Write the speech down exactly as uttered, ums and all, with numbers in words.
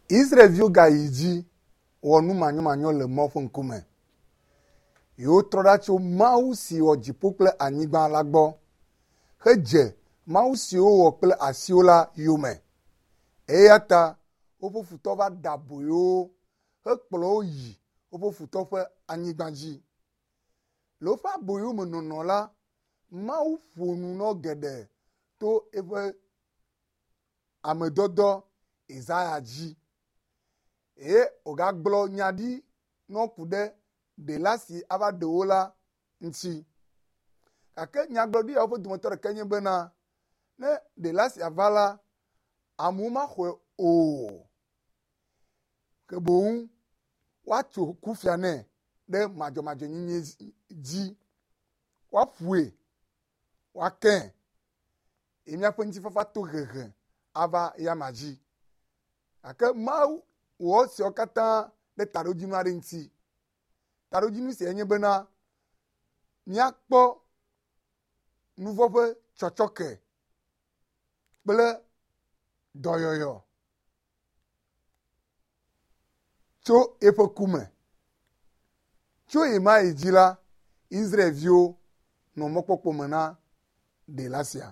Israelviwo gayi dzi wɔ nu manyomanyo le Mawu ƒe ŋkume. Yewotrɔ ɖa tso Mawu si wɔ dziƒo kple anyigba la gbɔ hedze Mawu siwo wɔ kple asiwo la yome. Eya ta woƒe futɔ va ɖe aboyo wo hekplɔ wo yi woƒe futɔ ƒe anyigba dzi. Le woƒe aboyo me nɔnɔ la, Mawu ƒo nu na wo geɖe to eƒe amedɔdɔ Yesaya dzi eye wògagblɔ nya ɖi na wo ku ɖe ɖela si ava ɖe wo la ŋuti. Gake nyagblɔɖiawo ƒe dometɔ ɖeka nye bena ne ɖela sia va la, amewo maxɔe o. Ke boŋ woatso kufia nɛ ɖe madzɔmadzɔnyenye dzi. Woaƒoe, woakee eye míaƒe ŋutifafa to hehe ava yama dzi. Gake Mawu wɔ esiawo katã ɖe taɖodzinu aɖe ŋuti. Taɖodzinu sia nye bena míakpɔ nu vɔ̃ ƒe tsɔtsɔke kple dɔyɔyɔ tso eƒe ku me. Tso ɣemaɣi dzi la, Israelviwo nɔ mɔkpɔkpɔ me na ɖela sia.